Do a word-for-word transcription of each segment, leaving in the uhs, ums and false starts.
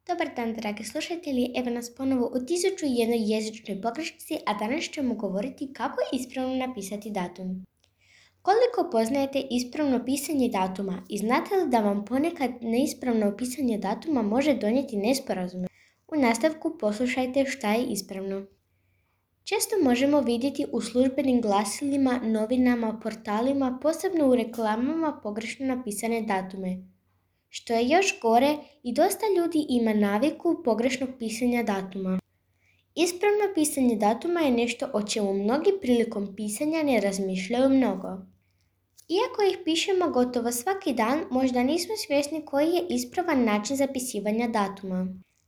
Dobar dan, dragi slušatelji. Evo nas ponovo u tisuću i jednoj jezičnoj pogrešci, a danas ćemo govoriti kako ispravno napisati datum. Koliko poznajete ispravno pisanje datuma i znate li da vam ponekad neispravno pisanje datuma može donijeti nesporazume? U nastavku poslušajte šta je ispravno. Često možemo vidjeti u službenim glasilima, novinama, portalima, posebno u reklamama pogrešno napisane datume. Što je još gore, i dosta ljudi ima naviku pogrešnog pisanja datuma. Ispravno pisanje datuma je nešto o čemu mnogi prilikom pisanja ne razmišljaju mnogo. Iako ih pišemo gotovo svaki dan, možda nismo svjesni koji je ispravan način zapisivanja datuma.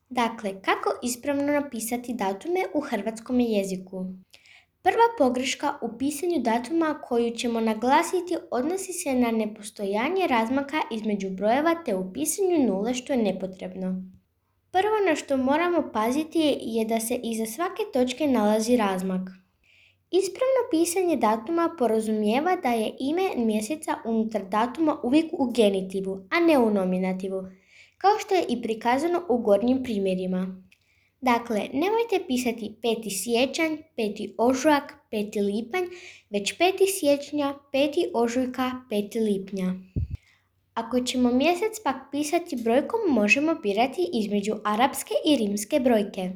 Dakle, kako ispravno napisati datume u hrvatskom jeziku? Prva pogreška u pisanju datuma koju ćemo naglasiti odnosi se na nepostojanje razmaka između brojeva te u pisanju nule, što je nepotrebno. Prvo na što moramo paziti je da se iza svake točke nalazi razmak. Ispravno pisanje datuma podrazumijeva da je ime mjeseca unutar datuma uvijek u genitivu, a ne u nominativu, kao što je i prikazano u gornjim primjerima. Dakle, nemojte pisati peti siječanj, peti ožujak, peti lipanj, već peti siječnja, peti ožujka, peti lipnja. Ako ćemo mjesec pak pisati brojkom, možemo birati između arapske i rimske brojke.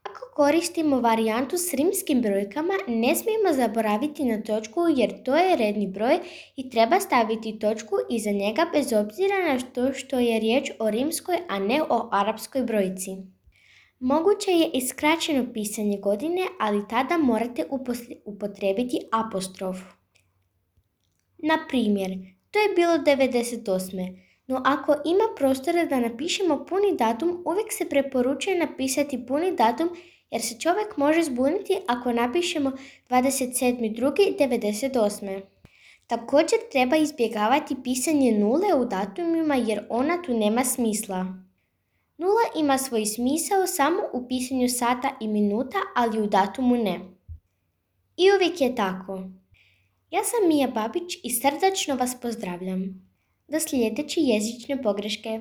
Ako koristimo varijantu s rimskim brojkama, ne smijemo zaboraviti na točku jer to je redni broj i treba staviti točku iza njega bez obzira na to što je riječ o rimskoj, a ne o arapskoj brojci. Moguće je i skraćeno pisanje godine, ali tada morate upotrijebiti apostrof. Na primjer, to je bilo devedeset osme. No ako ima prostora da napišemo puni datum, uvijek se preporučuje napisati puni datum jer se čovjek može zbuniti ako napišemo dvadeset sedmi drugi devedeset osme. Također treba izbjegavati pisanje nule u datumima jer ona tu nema smisla. Nula ima svoj smisao samo u pisanju sata i minuta, ali u datumu ne. I uvijek je tako. Ja sam Mija Babić i srdačno vas pozdravljam. Do sljedeće jezične pogreške.